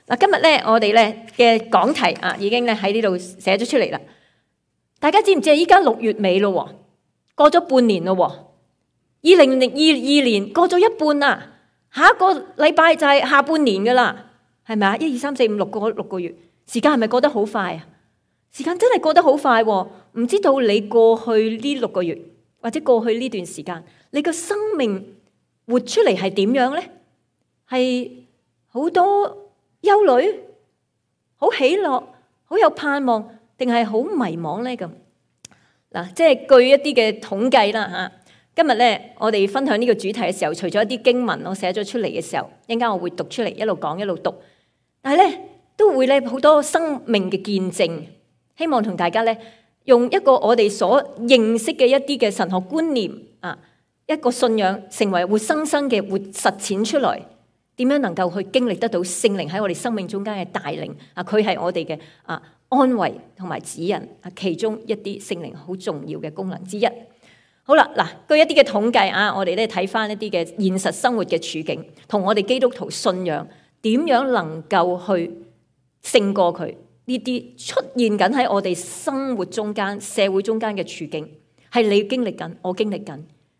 嗱，今日咧我哋咧嘅講題啊，已經咧喺呢度寫咗出嚟啦。大家知唔知啊？依家6月尾咯，過咗半年咯，2022年過咗一半啦，下一個禮拜就係下半年噶啦，係咪啊？1、2、3、4、5、6個月，時間係咪過得好快啊？時間真係過得好快喎！唔知道你過去呢6個月或者過去呢段時間，你個生命活出嚟係點樣咧？係好多憂慮，好喜樂，好有盼望，定係好迷茫咧？咁嗱，即係據一啲嘅統計啦嚇。今日咧，我哋分享呢個主題嘅時候，除咗一啲經文我寫咗出嚟嘅時候，一陣間我會讀出嚟，一路講一路讀。但係咧，都會咧好多生命嘅見證，希望同大家咧用一個我哋所認識嘅一啲嘅神學觀念啊，一個信仰成為活生生嘅活實踐出來。點樣能夠去經歷得到聖靈喺我哋生命中間嘅帶領啊？佢係我哋嘅安慰同埋指引啊，其中一啲聖靈好重要嘅功能之一。好啦，嗱，據一啲嘅統計啊，我哋咧睇翻一啲嘅現實生活嘅處境，同我哋基督徒信仰點樣能夠去勝過佢呢啲出現緊喺我哋生活中間、社會中間嘅處境，係你經歷緊，我經歷緊，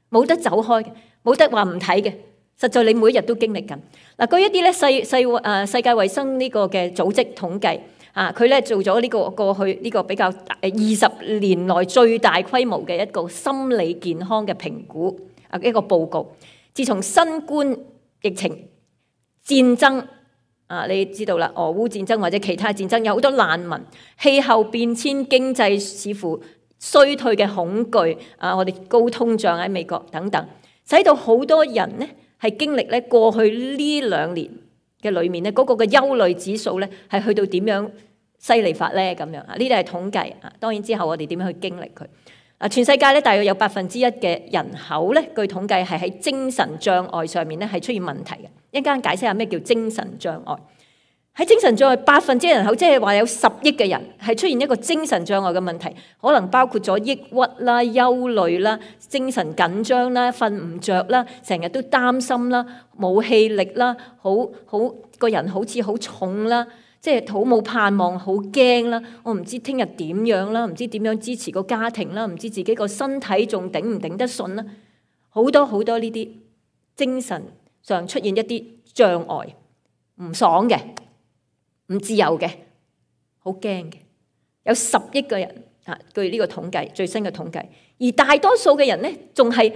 冇得走開嘅，冇得話唔睇嘅。實在你每一日都經歷緊。嗱，據一啲咧世界衛生呢個嘅組織統計啊，佢咧做咗呢個過去呢個比較20年內最大規模嘅一個心理健康嘅評估啊，一個報告。自從新冠疫情、戰爭啊，你知道啦，俄烏戰爭或者其他戰爭，有好多難民、氣候變遷、經濟似乎衰退嘅恐懼啊，我哋高通脹喺美國等等，使到好多人呢係經歷咧過去呢2年嘅裏面咧，嗰個嘅憂慮指數咧係去到點樣犀利法咧？咁樣啊，呢啲係統計啊。當然之後我哋點樣去經歷佢啊？全世界咧大約有1%嘅人口咧，據統計係喺精神障礙上面咧係出現問題嘅。一陣間解釋下咩叫精神障礙。喺精神障礙1%人口，即係話有10億嘅人係出現一個精神障礙嘅問題，可能包括咗抑鬱啦、憂慮啦、精神緊張啦、瞓唔着啦、成日都擔心啦、冇氣力啦、好個人好似好重啦，即係好冇盼望、好驚啦，我唔知聽日點樣啦，唔知點樣支持個家庭啦，唔知自己個身體仲頂唔頂得順啦，好多呢啲精神上出現一啲障礙，唔爽嘅。唔自由嘅，好驚嘅，有10億個人啊！據呢個統計，最新嘅統計，而大多數嘅人呢，仲係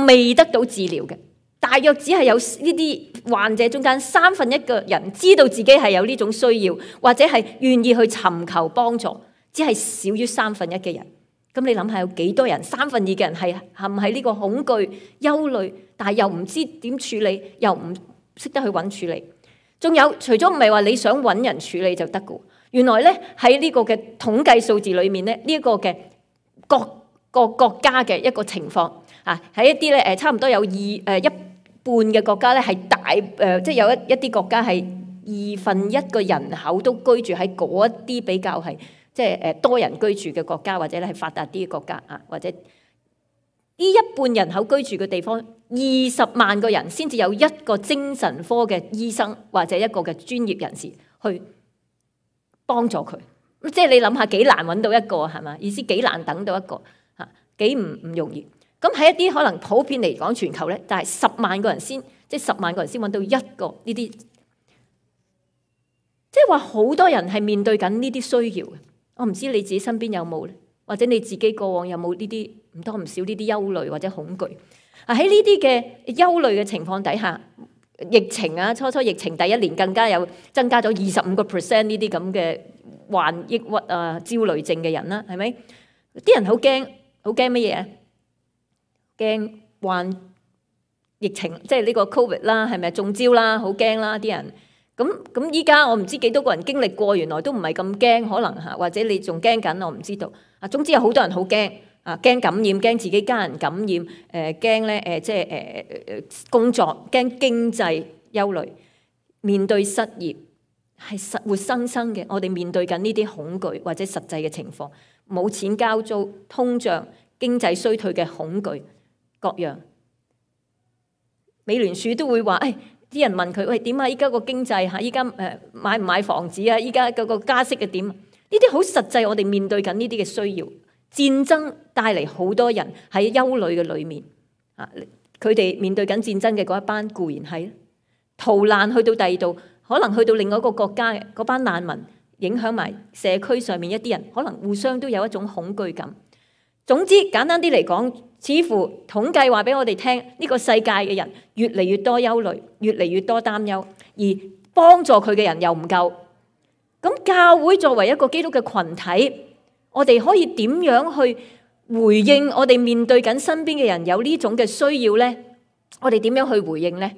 未得到治療嘅。大約只係有呢啲患者中間1/3個人知道自己係有呢種需要，或者係願意去尋求幫助，只係少於1/3嘅人。咁你諗下，有幾多人2/3嘅人係陷喺呢個恐懼、憂慮，但係又唔知點處理，又唔識得去揾處理。仲有，除咗唔係話你想揾人處理就得嘅，原來咧喺呢個嘅統計數字裏面咧，呢一個嘅各個國家嘅一個情況啊，喺一啲咧差唔多有一半嘅國家咧係大即係有一啲國家係1/2個人口都居住喺嗰一啲比較係即係多人居住嘅國家，或者咧係發達啲嘅國家啊，或者呢一半人口居住嘅地方，20萬個人先至有一個精神科嘅醫生或者一個嘅專業人士去幫助佢。即係你諗下幾難揾到一個係嘛？意思幾難等到一個嚇，幾唔容易。咁喺一啲可能普遍嚟講全球咧，但係10萬個人先，即係10萬個人先揾到一個呢啲，即係話好多人係面對緊呢啲需要嘅。我唔知你自己身邊有冇咧，或者你自己過往有冇呢啲唔多唔少呢啲憂慮或者恐懼啊？喺呢啲嘅憂慮嘅情況底下，疫情啊，初疫情第1年更加有增加咗25% 呢啲咁嘅患抑鬱啊、焦慮症嘅人啦，係咪？啲人好驚乜嘢啊？驚患疫情，即係呢個 Covid 啦，係咪中招啦？好驚啦，啲人。咁依家我唔知幾多個人經歷過，原來都唔係咁驚，可能嚇，或者你仲驚緊，我唔知道。啊，總之有好多人好驚啊，驚感染，驚自己家人感染，驚咧即係工作，驚經濟憂慮，面對失業係活生生嘅。我哋面對緊呢啲恐懼或者實際嘅情況，冇錢交租、通脹、經濟衰退嘅恐懼各樣。美聯儲都會話，啲人問佢：喂，點啊？依家個經濟嚇，依家買唔買房子啊？依家嗰個加息嘅點？呢啲好實際，我哋面對緊呢啲嘅需要。戰爭帶嚟好多人喺憂慮嘅裏面啊，佢哋面對緊戰爭嘅嗰一班固然係逃難去到第二度，可能去到另外一個國家嘅嗰班難民，影響埋社區上面一啲人，可能互相都有一種恐懼感。總之簡單啲嚟講，似乎統計話俾我哋聽，呢個世界嘅人越嚟越多憂慮，越嚟越多擔憂，而幫助佢嘅人又唔夠。咁教會作為一個基督嘅群體，我哋可以點樣去回應我哋面對緊身邊嘅人有呢種嘅需要呢？我哋點樣去回應呢？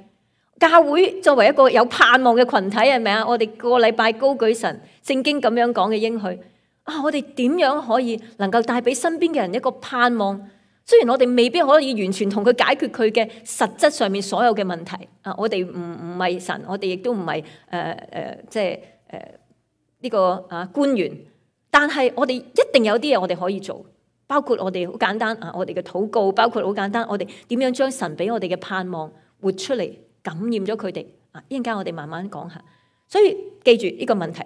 教會作為一個有盼望嘅群體，係咪啊？我哋個禮拜高舉神聖經咁樣講嘅應許啊！我哋點樣可以能夠帶俾身邊嘅人一個盼望？雖然我哋未必可以完全同佢解決佢嘅實質上面所有嘅問題啊！我哋唔係神，我哋亦都唔係呢個官員。但係我哋一定有啲嘢我哋可以做，包括我哋好簡單我哋嘅禱告，包括好簡單，我哋點樣將神俾我哋嘅盼望活出嚟，感染咗佢哋啊！一陣間我哋慢慢講下。所以記住呢個問題，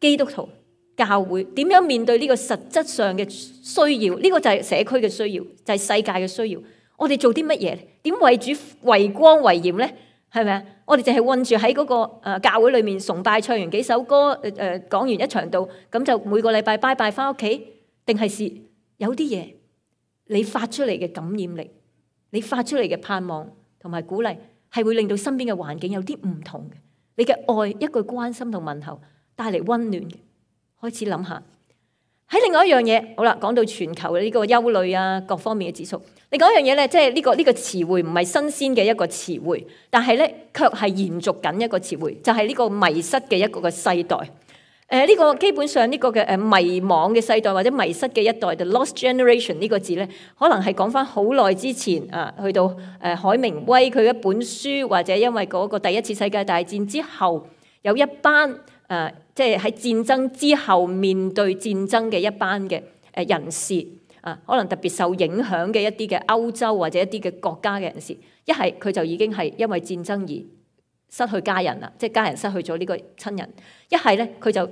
基督徒教會點樣面對呢個實質上嘅需要？呢個就係社區嘅需要，就係世界嘅需要。我哋做啲乜嘢？點為主為光為鹽呢？係咪啊？我哋淨係困住喺嗰個教會裏面崇拜，唱完幾首歌，講完一場道，咁就每個禮拜拜拜翻屋企？定係有啲嘢你發出嚟嘅感染力，你發出嚟嘅盼望同埋鼓勵，係會令到身邊嘅環境有啲唔同嘅。你嘅愛，一句關心同問候，帶嚟溫暖嘅。開始諗下。喺另外一樣嘢，好啦，講到全球嘅呢個憂慮啊，各方面嘅指數。另外一樣嘢咧，即係呢個詞彙唔係新鮮嘅一個詞彙，但係咧卻係延續緊一個詞彙，就係呢個迷失嘅一個嘅世代。呢個基本上呢個嘅迷惘嘅世代或者迷失嘅一代 ，the lost generation 呢個字咧，可能係講翻好耐之前啊，去到海明威佢一本書，或者因為嗰個第一次世界大戰之後，有一班即係喺戰爭之後面對戰爭嘅一班嘅人士啊，可能特別受影響嘅一啲嘅歐洲或者一啲嘅國家嘅人士，一係佢就已經係因為戰爭而失去家人啦，即係家人失去咗呢個親人；一係咧佢就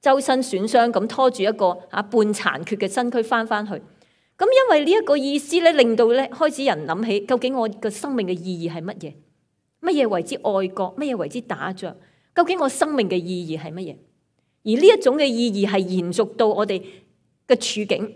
周身損傷咁拖住一個半殘缺嘅身軀翻去。咁因為呢一個意思咧，令到咧開始人諗起，究竟我嘅生命嘅意義係乜嘢？乜嘢為之愛國？乜嘢為之打仗？究竟我生命嘅意義係乜嘢？而呢一種嘅意義係延續到我哋嘅處境。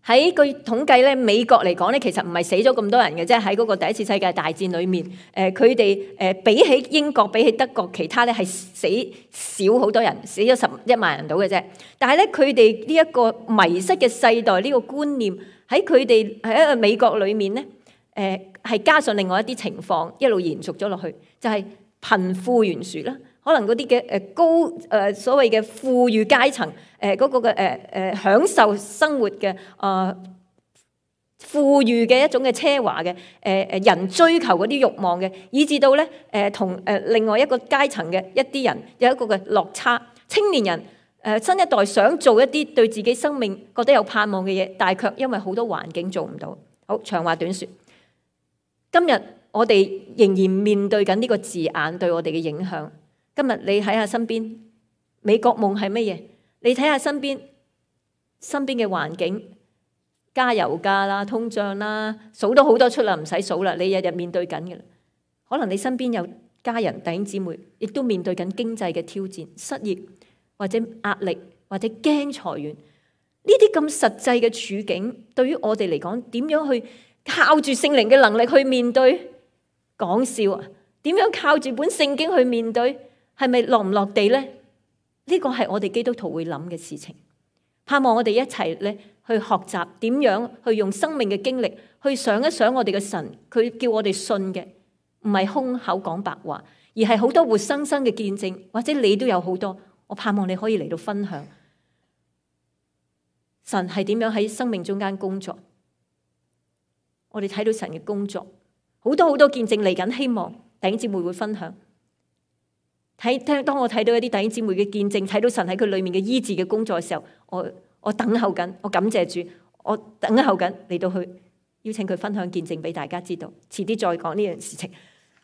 喺據統計咧，美國嚟講咧，其實唔係死咗咁多人嘅啫。喺嗰個第一次世界大戰裏面，佢哋比起英國、比起德國，其他咧係死少好多人，死咗11萬人到嘅啫。但係咧，佢哋呢一個迷失嘅世代呢個觀念喺佢哋喺一個美國裏面咧，係加上另外一啲情況一路延續咗落去，就係貧富懸殊啦。可能嗰啲嘅高所謂嘅富裕階層嗰個嘅享受生活嘅富裕嘅一種嘅奢華嘅人追求嗰啲慾望嘅，以至到咧同另外一個階層嘅一啲人有一個嘅落差。青年人新一代想做一啲對自己生命覺得有盼望嘅嘢，但係卻因為好多環境做唔到。好，長話短説，今日我哋仍然面對緊呢個字眼對我哋嘅影響。今日你睇下身邊，美國夢係乜嘢？你睇下身邊嘅環境，加油價啦、通脹啦，數都好多出啦，唔使數啦。你日日面對緊嘅啦。可能你身邊有家人、弟兄姊妹，亦都面對緊經濟嘅挑戰、失業或者壓力或者驚裁員。呢啲咁實際嘅處境，對於我哋嚟講，點樣去靠住聖靈嘅能力去面對？講笑啊！點樣靠住本聖經去面對？係咪落唔落地呢？呢個係我哋基督徒會諗嘅事情。盼望我哋一齊咧去學習點樣去用生命嘅經歷去想一想我哋嘅神，佢叫我哋信嘅唔係空口講白話，而係好多活生生嘅見證。或者你都有好多，我盼望你可以嚟到分享神係點樣喺生命中間工作。我哋睇到神嘅工作，好多見證嚟緊，希望弟兄姊妹會分享。當我睇到一啲弟兄姊妹嘅見證，睇到神喺佢裏面嘅醫治嘅工作嘅時候，我等候緊，我感謝主，我等候緊嚟到去邀請佢分享見證俾大家知道。遲啲再講呢樣事情。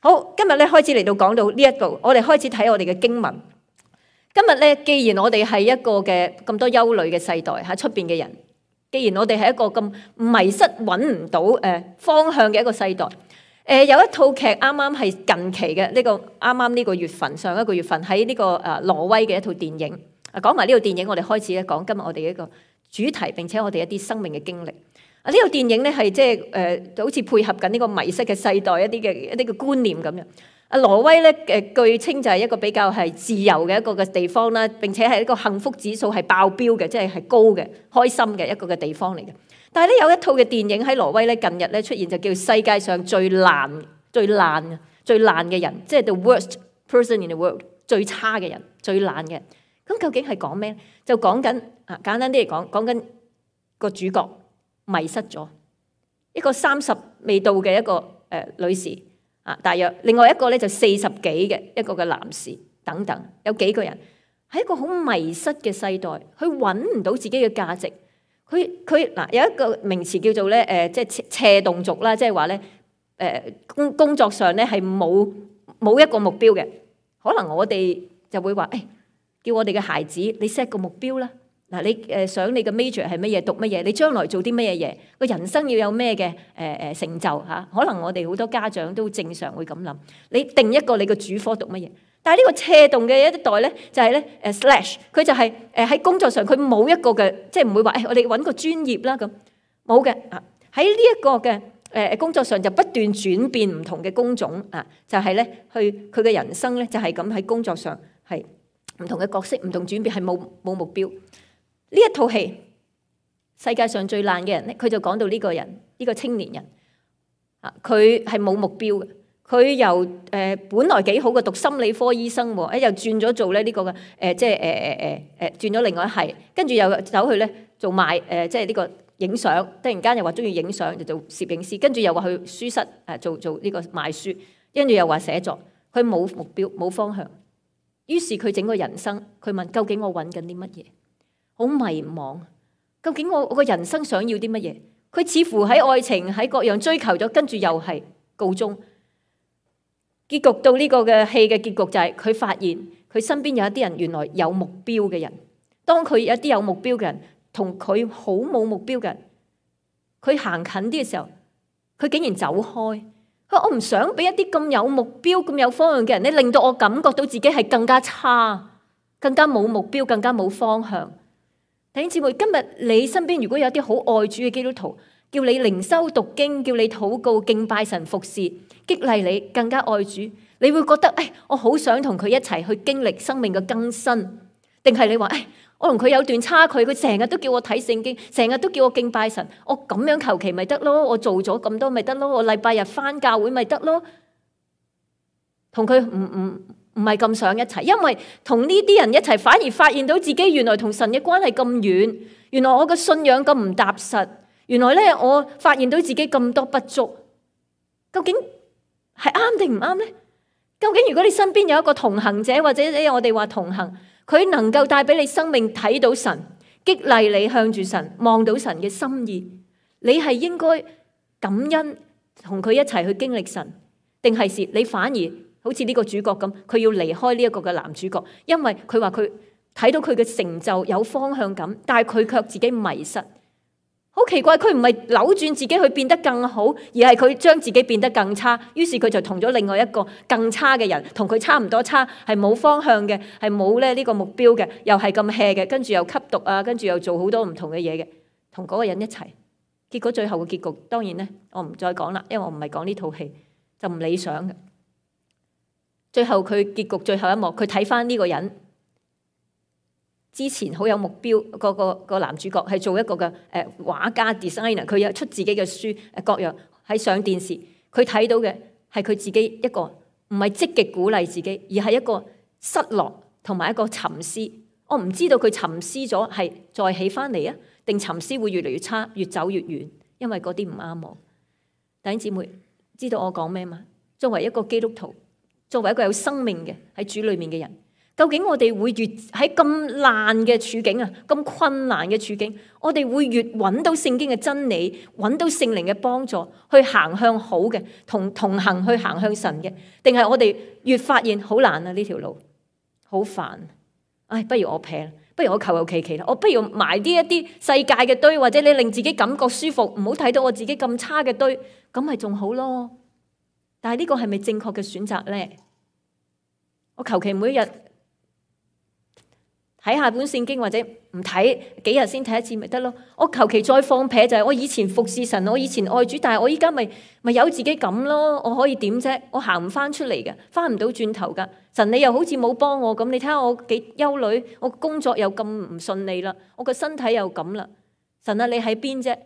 好，今日咧開始嚟到講到呢一度，我哋開始睇我哋嘅經文。今日咧，既然我哋係一個嘅咁多憂慮嘅世代喺出邊嘅人，既然我哋係一個咁迷失揾唔到方向嘅一個世代，有一套劇啱啱係近期嘅呢個啱啱呢個月份上一個月份喺呢個挪威嘅一套電影。講埋呢套電影，我哋開始咧講今日我哋一個主題，並且我哋一啲生命嘅經歷。呢套電影咧係即係好似配合緊呢個迷失嘅世代一啲嘅觀念咁樣。挪威咧據稱就係一個比較係自由嘅一個嘅地方啦，並且係一個幸福指數係爆標嘅，即係高嘅、開心嘅一個嘅地方嚟嘅。但係咧有一套嘅電影喺挪威咧近日咧出現，就叫世界上最爛嘅人，即係 the worst person in the world， 最差嘅人、最爛嘅人。咁究竟係講咩？就講緊簡單啲嚟講，講緊個主角迷失咗，一個30未到嘅一個女士大約，另外一個咧就40幾嘅一個嘅男士等等，有幾個人喺一個好迷失嘅世代，佢揾唔到自己嘅價值。佢有一個名詞叫做咧即係斜動族啦，即係話咧工作上咧係冇一個目標嘅。可能我哋就會話叫我哋嘅孩子，你 set 個目標啦。嗱，你想你嘅 major 係乜嘢，讀乜嘢，你將來做啲乜嘢嘢，個人生要有咩嘅成就嚇？可能我哋好多家長都正常會咁諗。你定一個你嘅主科讀乜嘢？但係呢個斜動嘅一代咧，就係咧slash，佢就係喺工作上佢冇一個嘅，即係唔會話我哋揾個專業啦咁，冇嘅啊。喺呢一個嘅工作上就不斷轉變唔同嘅工種啊，就係咧佢嘅人生咧就係咁喺工作上係唔同嘅角色，唔同轉變，係冇目標。呢一套戲世界上最爛嘅人咧，佢就講到呢個人，呢個青年人佢係冇目標嘅。佢由本來幾好嘅讀心理科醫生喎，又轉咗做咧呢個嘅即係轉咗另外一係，跟住又走去咧做賣即係呢個影相，突然間又話中意影相就做攝影師，跟住又話去書室做呢個賣書，跟住又話寫作，佢冇目標冇方向，於是佢整個人生，佢問究竟我揾緊啲乜嘢？好迷茫，究竟我個人生想要啲乜嘢？佢似乎喺愛情喺各樣追求咗，跟住又係告終。結局到呢個嘅戲嘅結局就係佢發現佢身邊有一啲人原來有目標嘅人，當佢有一啲有目標嘅人同佢好冇目標嘅人，佢行近啲嘅時候，佢竟然走開。佢話我唔想俾一啲咁有目標、咁有方向嘅人咧，令到我感覺到自己係更加差、更加冇目標、更加冇方向。弟兄姊妹，今日你身邊如果有啲好愛主嘅基督徒，叫你靈修讀經，叫你禱告敬拜神服侍，激勵你更加愛主，你會覺得我好想同佢一齊去經歷生命嘅更新，定係你話我同佢有段差距，佢成日都叫我睇聖經，成日都叫我敬拜神，我咁樣求其咪得咯，我做咗咁多咪得咯，我禮拜日返教會咪得咯，同佢唔係咁想一齊，因為同呢啲人一齊，反而發現到自己原來同神嘅關係咁遠，原來我嘅信仰咁唔踏實，原來咧我發現到自己咁多不足，究竟係啱定唔啱呢？究竟如果你身邊有一個同行者，或者我哋話同行，佢能夠帶俾你生命睇到神，激勵你向住神望到神嘅心意，你係應該感恩同佢一齊去經歷神，定係你反而好似呢個主角咁，佢要離開呢一個嘅男主角，因為佢話佢睇到佢嘅成就有方向感，但係佢卻自己迷失。好奇怪，佢唔係扭轉自己去變得更好，而係佢將自己變得更差。於是佢就同咗另外一個更差嘅人，同佢差唔多差，係冇方向嘅，係冇咧呢個目標嘅，又係咁 hea 嘅，跟住又吸毒啊，跟住又做好多唔同嘅嘢嘅，同嗰個人一齊。結果最後嘅結局，當然咧，我唔再講啦，因為我唔係講呢套戲，就唔理想嘅。最後佢結局最後一幕，佢睇翻呢個人之前好有目標，個男主角係做一個嘅畫家 designer， 佢有出自己嘅書各樣喺上電視，佢睇到嘅係佢自己一個唔係積極鼓勵自己，而係一個失落同埋一個沉思。我唔知道佢沉思咗係再起翻嚟啊，定沉思會越嚟越差，越走越遠，因為嗰啲唔啱我。弟兄姊妹，知道我講咩嘛？作為一個基督徒，作為一個有生命嘅喺主裏面嘅人，究竟我哋會越喺咁爛嘅處境啊，咁困難嘅處境，我哋會越揾到聖經嘅真理，揾到聖靈嘅幫助，去行向好嘅，同行去行向神嘅，定係我哋越發現好難啊，呢條路好煩，唉，不如我撇，不如我求求其其啦，我不如埋啲一啲世界嘅堆，或者你令自己感覺舒服，唔好睇到我自己咁差嘅堆，咁咪仲好咯。但係呢個係咪正確嘅選擇呢？我求其每一日睇下本聖經，或者唔睇幾日先睇一次咪得咯。我求其再放撇就係我以前服侍神，我以前愛主，但係我依家咪有自己咁咯。我可以點啫？我行唔翻出嚟嘅，翻唔到轉頭噶。神你又好似冇幫我咁，你睇下我幾憂慮，我工作又咁唔順利啦，我個身體又咁啦。神啊，你喺邊啫？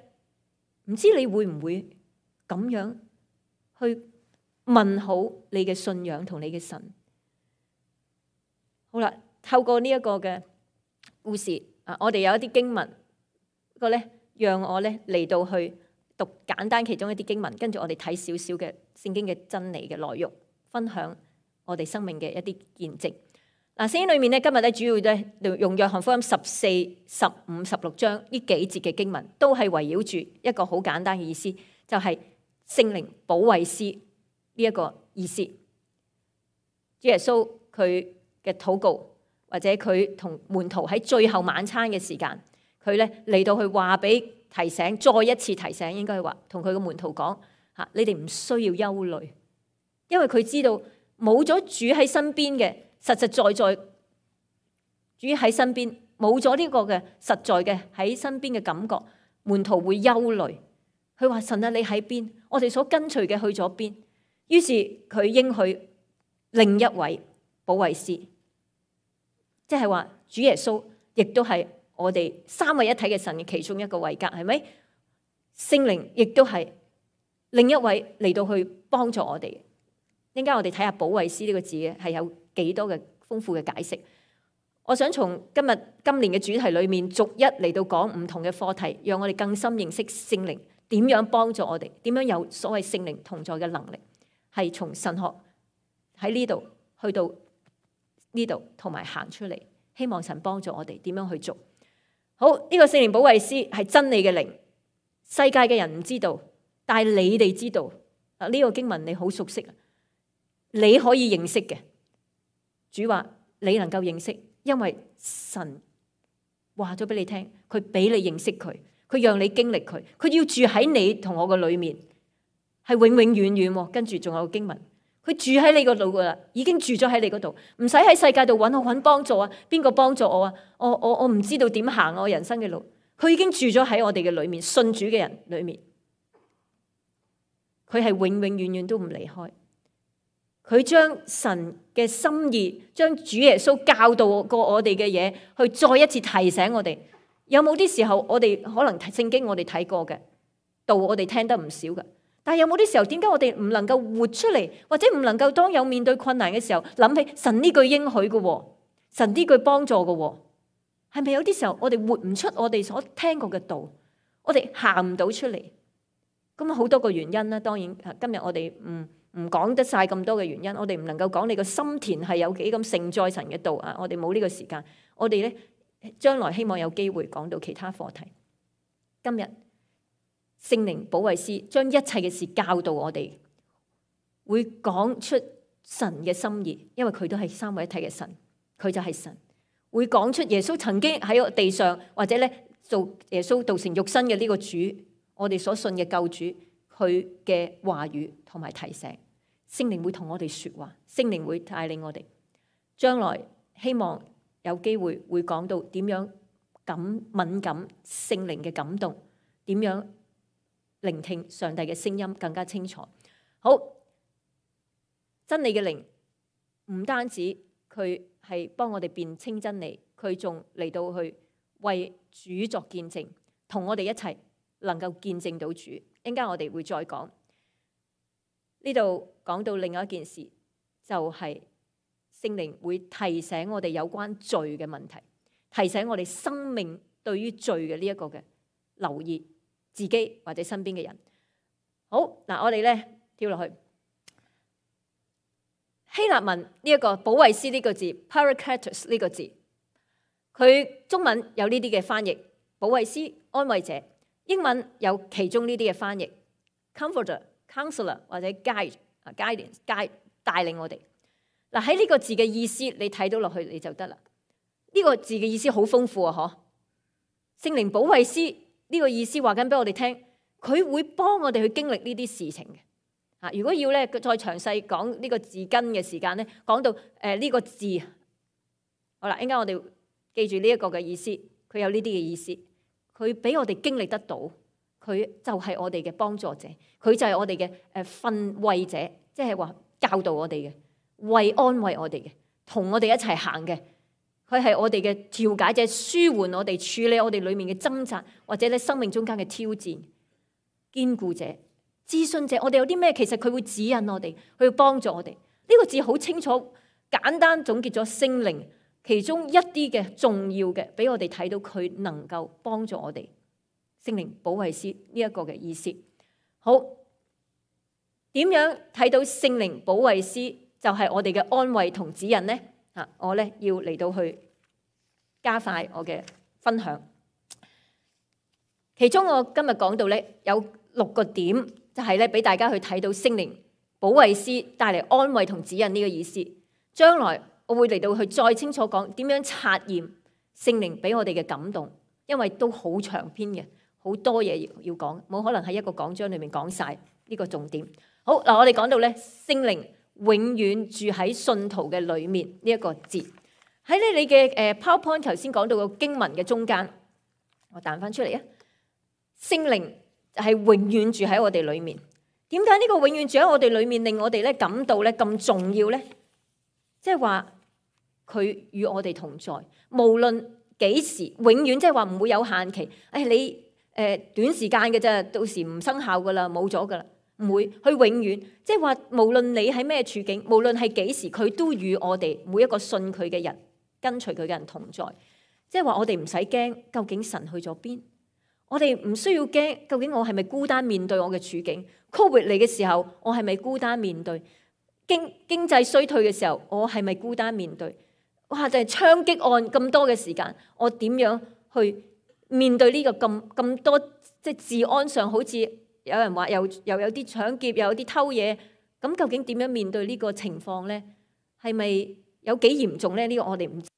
唔知你會唔會咁樣去問好你嘅信仰同你嘅神？好啦。透過呢一個嘅故事啊，我哋有一啲經文，不過咧，讓我咧嚟到去讀簡單其中一啲經文，跟住我哋睇少少嘅聖經嘅真理嘅內容，分享我哋生命嘅一啲見證。嗱，聖經裏面咧，今日咧主要咧用約翰福音14、15、16章呢幾節嘅經文，都係圍繞住一個好簡單嘅意思，就係聖靈保惠師呢一個意思。主耶穌佢嘅禱告。或者佢同門徒喺最後晚餐嘅時間，佢咧嚟到去話俾提醒，再一次提醒，應該係話同佢嘅門徒講嚇，你哋唔需要憂慮，因為佢知道冇咗主喺身邊嘅，實實在在主喺身邊，冇咗呢個嘅實在嘅喺身邊嘅感覺，門徒會憂慮。佢話神啊，你喺邊？我哋所跟隨嘅去咗邊？於是佢應許另一位保惠師。即係話主耶穌亦都係我哋三位一體嘅神嘅其中一個位格，係咪？聖靈亦都係另一位嚟到去幫助我哋。陣間我哋睇下保惠師呢個字嘅係有幾多嘅豐富嘅解釋。我想從今年嘅主題裏面逐一嚟到講唔同嘅課題，讓我哋更深認識聖靈點樣幫助我哋，點樣有所謂聖靈同在嘅能力，係從神學喺呢度去到呢度同埋行出嚟，希望神幫助我哋點樣去做好。呢個聖靈保惠師係真理嘅靈，世界嘅人唔知道，但係你哋知道。呢個經文你好熟悉，你可以認識嘅。主話你能夠認識，因為神話咗俾你聽，佢俾你認識佢，佢讓你經歷佢，佢要住喺你同我嘅裏面，係永永遠遠。跟住仲有經文。佢住喺你嗰度噶啦，已經住咗喺你嗰度，唔使喺世界度揾幫助啊！邊個幫助我啊？我唔知道點行我人生嘅路。佢已經住咗喺我哋嘅裏面，信主嘅人裏面，佢係永永遠遠都唔離開。佢將神嘅心意，將主耶穌教導過我哋嘅嘢，去再一次提醒我哋。有冇啲時候我哋可能聖經我哋睇過嘅道，我哋聽得唔少嘅？但係有冇啲時候，點解我哋唔能夠活出嚟，或者唔能夠當有面對困難嘅時候，諗起神呢句應許嘅，神呢句幫助嘅，係咪有啲時候我哋活唔出我哋所聽過嘅道，我哋行唔到出嚟？咁好多個原因啦。當然今日我哋唔講得晒咁多嘅原因，我哋唔能夠講你個心田係有幾咁盛載神嘅道啊！我哋冇呢個時間，我哋咧將來希望有機會講到其他課題。今日聖靈保惠師將一切嘅事教導我哋，會講出神嘅心意，因為佢都係三位一體嘅神，佢就係神。會講出耶穌曾經喺個地上，或者咧做耶穌道成肉身嘅呢個主，我哋所信嘅救主，佢嘅話語同埋提醒。聖靈會同我哋說話，聖靈會帶領我哋。將來希望有機會會講到點樣敏感聖靈嘅感動，點樣聆聽上帝嘅聲音更加清楚。好，真理嘅靈唔單止佢係幫我哋辨清真理，佢仲嚟到去為主作見證，同我哋一齊能夠見證到主。一陣間我哋會再講。呢度講到另外一件事，就係聖靈會提醒我哋有關罪嘅問題，提醒我哋生命對於罪嘅呢一個嘅留意自己或者身邊嘅人。好嗱，我哋咧跳落去希臘文呢一個保惠師呢個字 Parakletos 呢個字，佢中文有呢啲嘅翻譯，保惠師、安慰者。英文有其中呢啲嘅翻譯 Comforter、Counselor 或者 Guidance 帶領我哋。嗱，喺呢個字嘅意思，你睇到落去你就得啦。呢個字嘅意思好豐富啊！嗬，聖靈保惠師呢個意思話緊俾我哋聽，佢會幫我哋去經歷呢啲事情嘅。啊，如果要咧再詳細講呢個字根嘅時間咧，講到呢個字，好啦，應該我哋記住呢一個嘅意思，佢有呢啲嘅意思。佢俾我哋經歷得到，佢就係我哋嘅幫助者，佢就係我哋嘅訓慰者，即係話教導我哋嘅，為安慰我哋嘅，同我哋一齊行嘅。佢係我哋嘅調解者，舒緩我哋，處理我哋裏面嘅掙扎，或者咧生命中間嘅挑戰，堅固者、諮詢者。我哋有啲咩，其實佢會指引我哋，佢會幫助我哋。呢個字好清楚，簡單總結咗聖靈其中一啲嘅重要嘅，俾我哋睇到佢能夠幫助我哋。聖靈保惠師呢一個嘅意思。好，點樣睇到聖靈保惠師就係我哋嘅安慰同指引呢？我咧要嚟到去加快我嘅分享。其中我今日講到咧有6個點，就係咧俾大家去睇到聖靈保惠師帶嚟安慰同指引呢個意思。將來我會嚟到去再清楚講點樣察驗聖靈俾我哋嘅感動，因為都好長篇嘅，好多嘢要講，冇可能喺一個講章裏面講晒呢個重點。好嗱，我哋講到咧聖靈永遠住喺信徒嘅裏面呢一個字，喺你嘅PowerPoint 頭先講到個經文嘅中間，我彈翻出嚟啊！聖靈係永遠住喺我哋裏面。點解呢個永遠住喺我哋裏面令我哋咧感到咧咁重要咧？即係話佢與我哋同在，無論幾時，永遠即係話唔會有限期。你短時間嘅啫，到時唔生效噶啦，冇咗噶啦，唔會。佢永遠即係話，無論你喺咩處境，無論係幾時，佢都與我哋每一個信佢嘅人、跟隨佢嘅人同在。即係話我哋唔使驚，究竟神去咗邊？我哋唔需要驚，究竟我係咪孤單面對我嘅處境？Covid 嚟嘅時候，我係咪孤單面對？經濟衰退嘅時候，我係咪孤單面對？哇！就係槍擊案咁多嘅時間，我點樣去面對呢個咁多？即係治安上好似有人話又有啲搶劫，又有啲偷嘢，咁究竟點樣面對呢個情況咧？係咪有幾嚴重咧？呢個我哋唔知。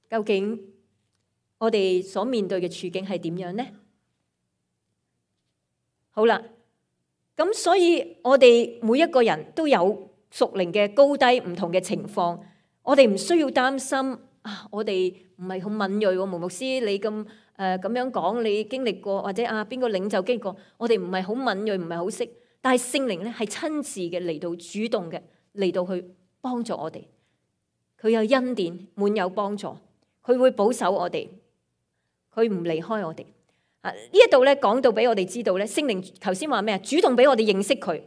究竟我哋所面對嘅處境係點樣呢？好啦，咁所以我哋每一個人都有屬靈嘅高低唔同嘅情況，我哋唔需要擔心啊！我哋唔係好敏銳喎，毛牧師你咁樣講，你經歷過或者邊個領袖經歷過，我哋唔係好敏銳，唔係好識，但係聖靈咧係親自嘅嚟到主動嘅嚟到去幫助我哋，佢有恩典，滿有幫助。佢會保守我哋，佢唔離開我哋。呢一度咧講到俾我哋知道咧，聖靈頭先話咩啊？主動俾我哋認識佢。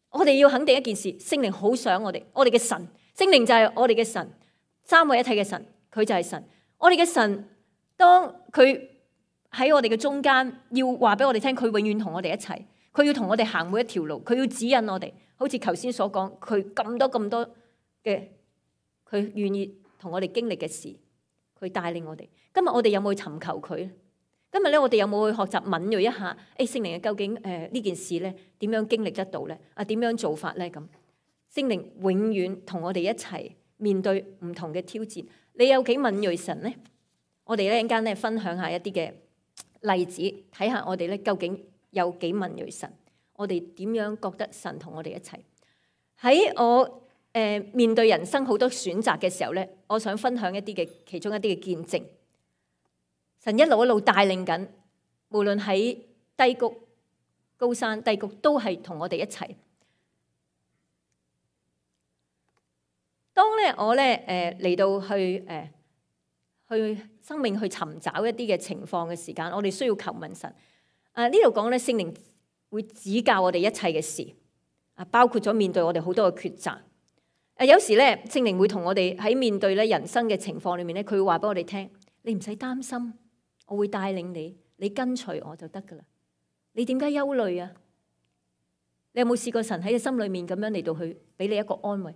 我哋要肯定一件事，聖靈好想我哋嘅神，聖靈就係我哋嘅神，三位一體嘅神，佢就係神。我哋嘅神，當佢喺我哋嘅中間，要話俾我哋聽，佢永遠同我哋一齊，佢要同我哋行每一條路，佢要指引我哋。好似頭先所講，佢咁多嘅，佢願意同我哋經歷嘅事。佢帶領我哋。今日我哋有冇去尋求佢咧？今日咧，我哋有冇去學習敏銳一下？聖靈究竟呢件事咧點樣經歷得到咧？點樣做法咧？咁聖靈永遠同我哋一齊面對唔同嘅挑戰。你有幾敏銳神咧？我哋咧一陣間咧分享一下一啲嘅例子，睇下我哋咧究竟有幾敏銳神？我哋點樣覺得神同我哋一齊？喺我面對人生好多選擇嘅時候咧，我想分享其中一啲嘅見證。神一路帶領緊，無論喺低谷、高山、低谷，都係同我哋一齊。當咧我咧嚟到去生命去尋找一啲嘅情況嘅時間，我哋需要求問神。呢度講咧，聖靈會指教我哋一切嘅事，包括咗面對我哋好多嘅抉擇。有時咧，聖靈會同我哋喺面對咧人生嘅情況裏面咧，佢會話俾我哋聽：你唔使擔心，我會帶領你，你跟隨我就得噶啦。你點解憂慮啊？你有冇試過神喺你心裏面咁樣嚟到去俾你一個安慰？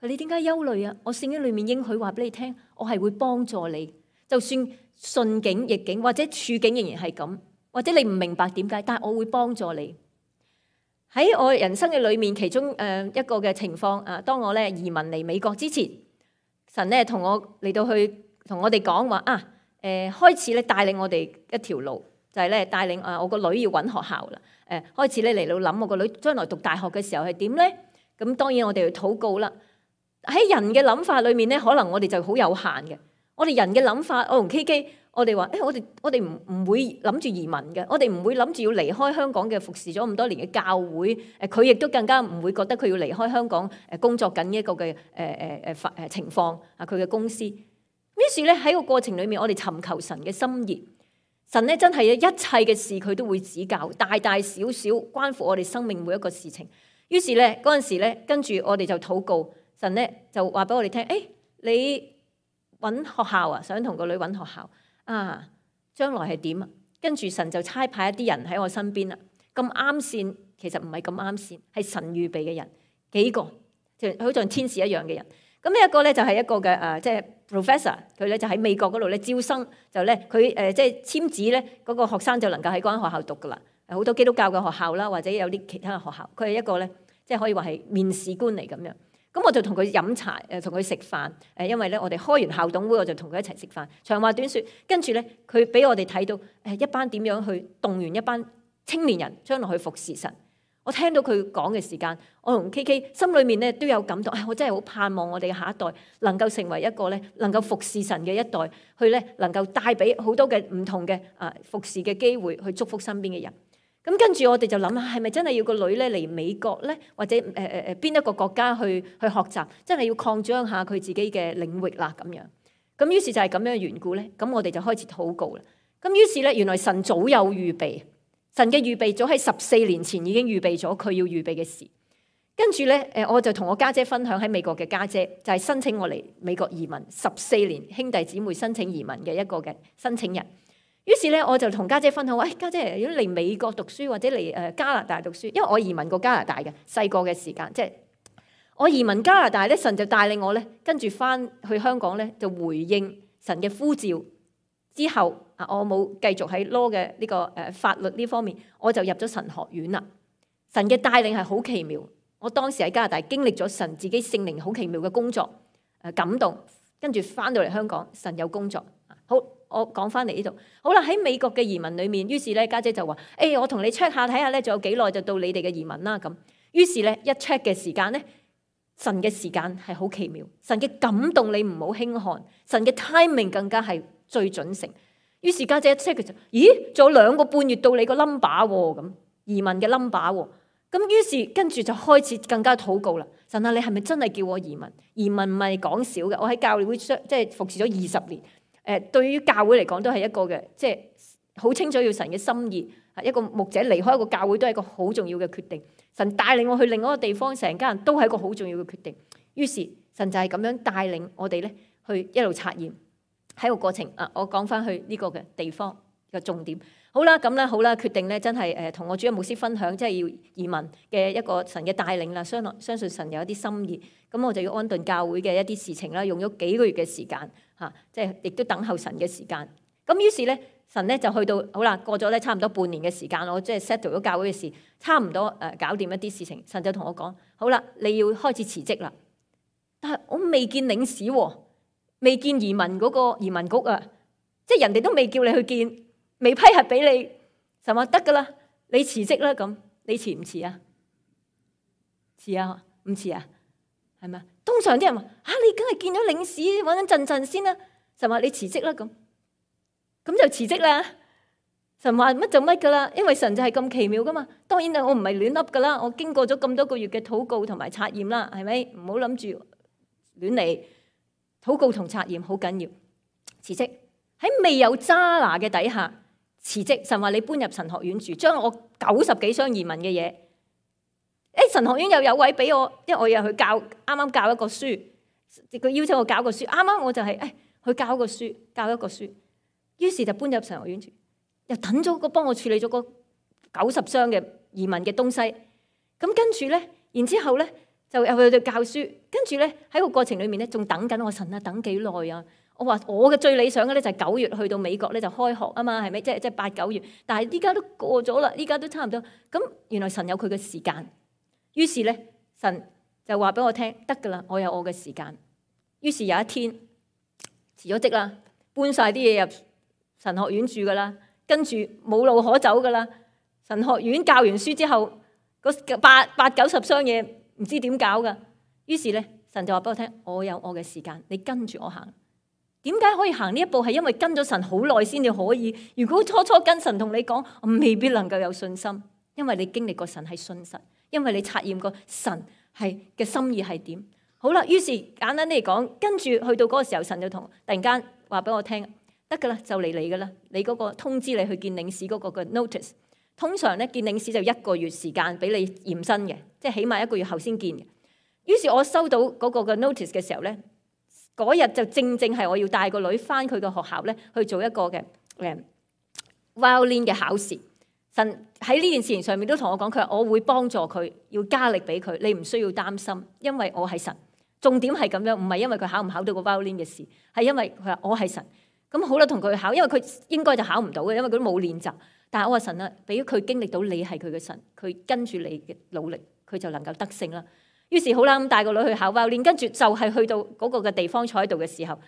你點解憂慮啊？我聖經裏面應許話俾你聽，我係會幫助你，就算順境逆境或者處境仍然係咁，或者你唔明白點解，但係我會幫助你。喺我人生嘅裏面，其中一個嘅情況啊，當我咧移民嚟美國之前，神咧同我嚟到去同我哋講話啊，開始咧帶領我哋一條路，就係咧帶領我個女要揾學校啦。開始咧嚟到諗我個女將來讀大學嘅時候係點咧？咁當然我哋要禱告啦。喺人嘅諗法裏面咧，可能我哋就好有限嘅。我哋人嘅諗法，我同 KK，我哋話我哋唔會諗住移民嘅，我哋唔會諗住要離開香港嘅服侍咗咁多年嘅教會。佢亦都更加唔會覺得佢要離開香港工作緊一個嘅情況啊，佢嘅公司。於是咧喺個過程裏面，我哋尋求神嘅心意。神咧真係一切嘅事佢都會指教，大大小小關乎我哋生命每一個事情。於是咧嗰陣時咧，跟住我哋就禱告，神咧就話俾我哋聽：你揾學校啊，想同個女揾學校啊，將來係點啊？跟住神就差派一啲人喺我身邊啦。咁啱線，其實唔係咁啱線，係神預備嘅人，幾個就好似天使一樣嘅人。咁呢一個咧就係一個嘅即係 professor， 佢咧就喺美國嗰度咧招生，就咧佢即係簽紙咧嗰個學生就能夠喺嗰間學校讀噶啦。好多基督教嘅學校啦，或者有啲其他嘅學校，佢係一個咧即係可以話係面試官嚟咁樣。咁我就同佢飲茶，同佢食飯。因為咧我哋開完校董會，我就同佢一齊食飯。長話短說，跟住咧佢俾我哋睇到一班點樣去動員一班青年人將來去服侍神。我聽到佢講嘅時間，我同 KK 心裏面咧都有感動。我真係好盼望我哋嘅下一代能夠成為一個咧能夠服侍神嘅一代，去咧能夠帶俾好多嘅唔同嘅服侍嘅機會，去祝福身邊嘅人。咁跟住我哋就諗下，係咪真係要個女咧嚟美國咧，或者邊一個國家去學習，真係要擴張下佢自己嘅領域啦咁樣。咁於是就係咁樣嘅緣故咧，咁我哋就開始禱告啦。咁於是咧，原來神早有預備。神嘅預備早喺14年前已經預備咗佢要預備嘅事，跟住咧我就同我家姐分享喺美國嘅家姐，就係申請我嚟美國移民14年，兄弟姊妹申請移民嘅一個嘅申請人。於是咧我就同家姐分享，家姐如果嚟美國讀書或者嚟加拿大讀書，因為我移民過加拿大嘅細個嘅時間，即係我移民加拿大咧，神就帶領我咧跟住翻去香港咧就回應神嘅呼召。之後我冇繼續喺 law 嘅呢個法律呢方面，我就入咗神學院啦。神嘅帶領係好奇妙，我當時喺加拿大經歷咗神自己聖靈好奇妙嘅工作，感動，跟住翻到嚟香港，神有工作。好，我講翻嚟呢度。好啦，喺美國嘅移民裏面，於是咧家姐就話：我同你 check 下睇下咧，仲有幾耐就到你哋嘅移民啦咁。於是咧一 check 嘅時間咧，神嘅時間係好奇妙，神嘅感動你唔好輕看，神嘅 timing 更加係最準成。於是家姐一 check 佢就：咦，仲有2個半月到你個 number 喎，咁移民嘅 number 喎。咁於是跟住就開始更加禱告啦。神啊，你係咪真係叫我移民？移民唔係講少嘅。我喺教會即係服侍咗20年。對於教會嚟講都係一個嘅，即係好清楚要神嘅心意。一個牧者離開一個教會都係一個好重要嘅決定。神帶領我去另外一個地方，成家人都係一個好重要嘅決定。於是神就係咁樣帶領我哋咧，去一路察驗喺個過程。我講翻去呢個嘅地方嘅重點。好啦，咁咧好啦，決定咧真係同我主任牧師分享，即係要移民嘅一個神嘅帶領啦。相信神有一啲心意，咁我就要安頓教會嘅一啲事情啦，用咗幾個月嘅時間即係亦都等候神嘅時間。咁於是咧，神咧就去到好啦，過咗咧差唔多半年嘅時間，我即係 settle 咗教會嘅事，差唔多搞掂一啲事情。神就同我講：好啦，你要開始辭職啦。但係我未見領事喎，未見移民嗰個移民局啊，即係人哋都未叫你去見。未批核俾你，神話得噶啦，你辭職啦咁，你辭唔辭啊？辭啊？唔辭啊？係咪？通常啲人話：你梗係見咗領事，穩穩陣陣先啦。神話你辭職啦咁，咁就辭職啦。神話乜就乜噶啦，因為神就係咁奇妙噶嘛。當然我唔係亂笠噶啦，我經過咗咁多個月嘅禱告同埋察驗啦，係咪？唔好諗住亂嚟，禱告同察驗好緊要。辭職喺未有揸拿嘅底下。辭職，神話你搬入神學院住，將我90幾箱移民嘅嘢，神學院又有位俾我，因為我又去教，啱啱教一個書，佢邀請我教個書，啱啱我就係去教一個書，於是就搬入神學院住。又等咗幫我處理咗個90箱嘅移民嘅東西。咁跟住咧，然之後咧就又去到教書，跟住咧喺個過程裏面咧仲等緊我神啊，等幾耐啊？我話我嘅最理想嘅咧就係9月去到美國咧就開學啊嘛，係咪？即係8、9月，但係依家都過咗啦，依家都差唔多。咁原來神有佢嘅時間，於是咧神就話俾我聽，得噶啦，我有我嘅時間。於是有一天辭咗職啦，搬晒啲嘢入神學院住噶啦，跟住冇路可走噶啦。神學院教完書之後，嗰80-90箱嘢唔知點搞噶。於是咧神就話俾我聽，我有我嘅時間，你跟住我行。點解可以行呢一步？係因為跟咗神好耐先至可以。如果初初跟神同你講，我未必能夠有信心，因為你經歷過神係信實，因為你察驗過神係嘅心意係點。好啦，於是簡單啲嚟講，跟住去到嗰個時候，神就突然間話俾我聽，得噶啦，就嚟你噶啦，你嗰個通知你去見領事嗰個嘅 notice。通常咧見領事就1個月時間俾你驗身嘅，即係起碼1個月後先見嘅。於是我收到嗰個嘅 notice 嘅時候咧，嗰日就正係我要帶個女翻佢嘅學校咧去做一個嘅violin 嘅考試。神喺呢件事情上面都同我講，佢話我會幫助佢，要加力俾佢，你唔需要擔心，因為我係神。重點係咁樣，唔係因為佢考唔考到個 violin 嘅事，係因為佢話我係神。咁好啦，同佢考，因為佢應該就考唔到嘅，因為佢都冇練習。但係我話神啊，俾佢經歷到你係佢嘅神，佢跟住你嘅努力，佢就能夠得勝啦。於是好啦，咁帶個女去考 violin，跟住就係去到嗰個嘅地方坐喺度嘅時候，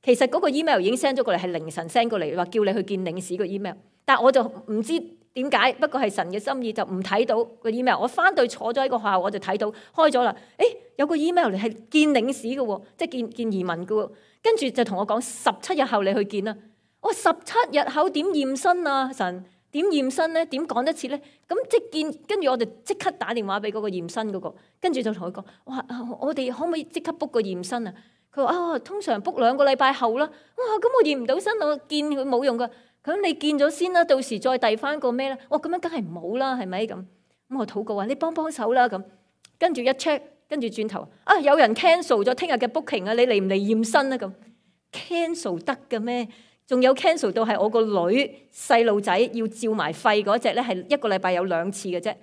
其實嗰個 email 已經 send 咗過嚟，係凌晨 send 過嚟，話叫你去見領事個 email。但係我就唔知點解，不過係神嘅心意，就唔睇到個 email。我翻到坐咗喺個學校，我就睇到開咗啦。誒，有個 email 嚟係見領事嘅喎，即係見移民嘅喎。跟住就同我講17日後你去見啦。我話17日後點驗身啊？神點驗身咧？點講得切咧？咁即係見，跟住我就即刻打電話俾嗰個驗身嗰個，跟住就同佢講：哇，我哋可唔可以即刻 book 個驗身啊？佢話啊，通常 book 2個禮拜後啦。哇，咁我驗唔到身，我見佢冇用噶。咁你見咗先啦，到時再遞翻個咩咧？哇，咁樣梗係唔好啦，係咪咁？咁我禱告話：你幫手啦咁。跟住一 check，跟住轉頭啊，有人 cancel 咗聽日嘅 booking 啊，你嚟唔嚟驗身啊？咁 cancel 得嘅咩？仲有 cancel 到係我個女細路仔要照埋肺嗰隻咧，係1個禮拜有2次嘅啫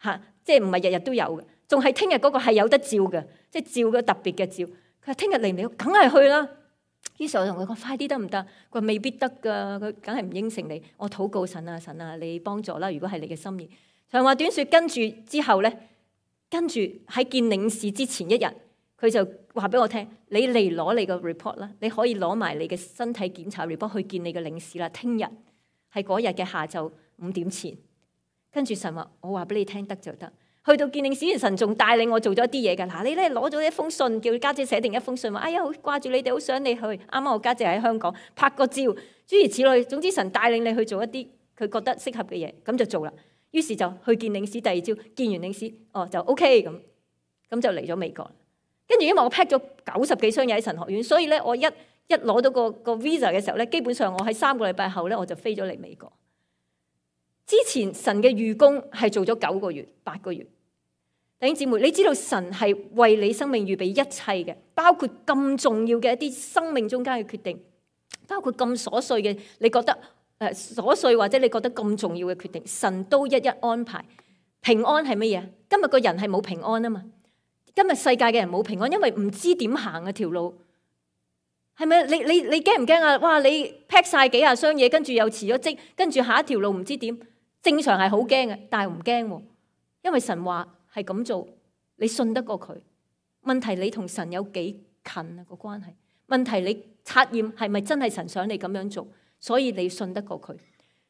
嚇，即係唔係日日都有嘅。仲係聽日嗰個係有得照嘅，即係照個特別嘅照。佢話聽日嚟唔嚟？梗係去啦。於是我同佢講：快啲得唔得？佢話未必得㗎，佢梗係唔應承你。我禱告神啊，神啊，你幫助啦！如果係你嘅心意。長話短説，跟住之後咧，跟住喺見領事之前1日，佢就話俾我聽：你嚟攞你個 report 啦，你可以攞埋你嘅身體檢查 report 去見你嘅領事啦。聽日係嗰日嘅下晝5點前。跟住神話：我話俾你聽得就得。去到見領事，神仲帶領我做咗啲嘢㗎。嗱，你咧攞咗一封信，叫家姐寫定一封信，話：哎呀，好掛住你哋，好想你去。啱啱我家姐喺香港拍個照，諸如此類。總之神帶領你去做一啲佢覺得適合嘅嘢，咁就做啦。於是就去見領事，第2朝見完領事，哦就 OK 咁就嚟咗美國。跟住因為我 pack 咗90幾箱嘢喺神學院，所以咧我一攞到個 visa 嘅時候咧，基本上我喺3個禮拜後咧我就飛咗嚟美國。之前神嘅預工係做咗9個月、8個月。弟兄姊妹，你知道神係為你生命預備一切嘅，包括咁重要嘅一啲生命中間嘅決定，包括咁瑣碎嘅你覺得瑣碎或者你覺得咁重要嘅決定，神都一一安排。平安係乜嘢？今日個人係冇平安啊嘛。今日世界嘅人冇平安，因為唔知點行啊條路，係咪？你驚唔驚啊？哇！你 pack 晒幾廿箱嘢，跟住又辭咗職，跟住下一條路唔知點。正常係好驚嘅，但係唔驚喎，因為神話係咁做，你信得過佢。問題你同神有幾近啊個關係？問題你察驗係咪真係神想你咁樣做，所以你信得過佢。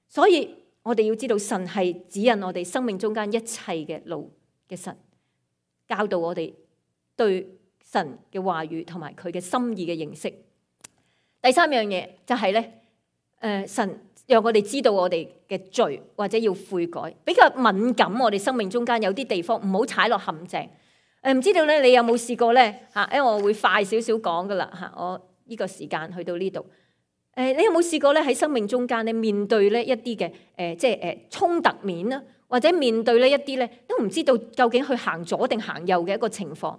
所以我哋要知道神係指引我哋生命中間一切嘅路嘅神，教導我哋對神嘅話語同埋佢嘅心意嘅認識。第3樣嘢就係咧，神讓我哋知道我哋嘅罪或者要悔改，比較敏感。我哋生命中間有啲地方唔好踩落陷阱。唔知道咧，你有冇試過咧？因為我會快少少講噶啦嚇，我呢個時間去到呢度。你有冇試過咧喺生命中間咧面對咧一啲嘅即係衝突面啦，或者面對呢一啲咧都唔知道究竟去行左定行右嘅一個情況，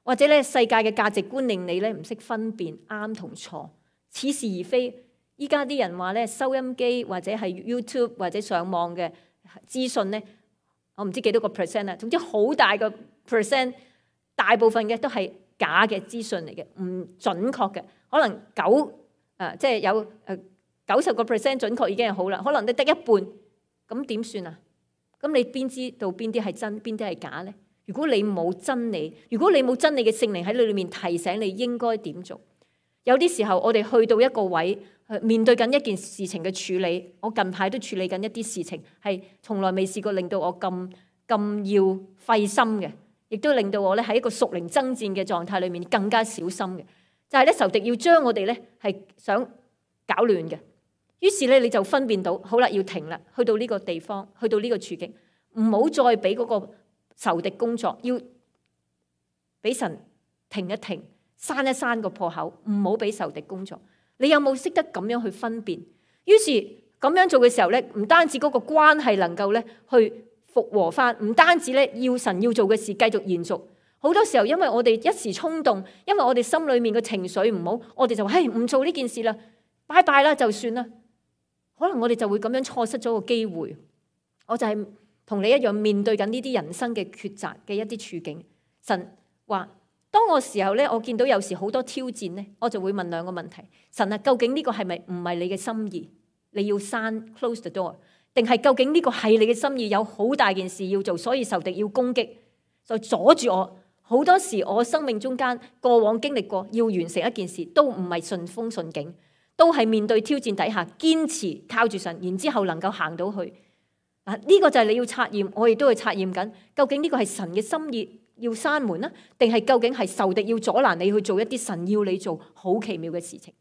或者咧世界嘅價值觀令你咧唔識分辨啱同錯，似是而非。依家啲人話咧，收音機或者係 YouTube 或者上網嘅資訊咧，我唔知幾多個 percent 啦，總之好大個 percent， 大部分嘅都係假嘅資訊嚟嘅，唔準確嘅，可能即係有90% 準確已經係好啦，可能你得一半，咁點算啊？咁你邊知道邊啲係真，邊啲係假呢？如果你冇真理，如果你冇真理嘅聖靈喺你裏面提醒你應該點做，有啲時候我哋去到一個位，面對緊一件事情嘅處理，我近排都處理緊一啲事情，係從來未試過令到我咁要費心嘅，亦都令到我咧喺一個屬靈爭戰嘅狀態裏面更加小心嘅。就係咧仇敵要將我哋咧係想搞亂嘅，於是咧你就分辨到，好啦，要停啦，去到呢個地方，去到呢個處境，唔好再俾嗰個仇敵工作，要俾神停一停，閂一閂個破口，唔好俾仇敵工作。你有冇識得咁樣去分辨？於是咁樣做嘅時候咧，唔單止嗰個關係能夠咧去復和翻，唔單止咧要神要做嘅事繼續延續。好多時候因為我哋一時衝動，因為我哋心裏面嘅情緒唔好，我哋就話唔做呢件事啦，拜拜啦就算啦。可能我哋就會咁樣錯失咗個機會。我就係同你一樣面對緊呢啲人生嘅抉擇嘅一啲處境。神話當我時候咧，我見到有時好多挑戰咧，我就會問兩個問題：神啊，究竟呢個係咪唔係你嘅心意？你要閂 close the door， 定係究竟呢個係你嘅心意？有好大件事要做，所以仇敵要攻擊，就阻住我。好多時我生命中間過往經歷過，要完成一件事都唔係順風順境，都係面對挑戰底下堅持靠住神，然之後能夠行到去。呢個就係你要察驗，我亦都去察驗緊，究竟呢個係神嘅心意要閂門啦，定係究竟係仇敵要阻攔你去做一啲神要你做好奇妙嘅事情？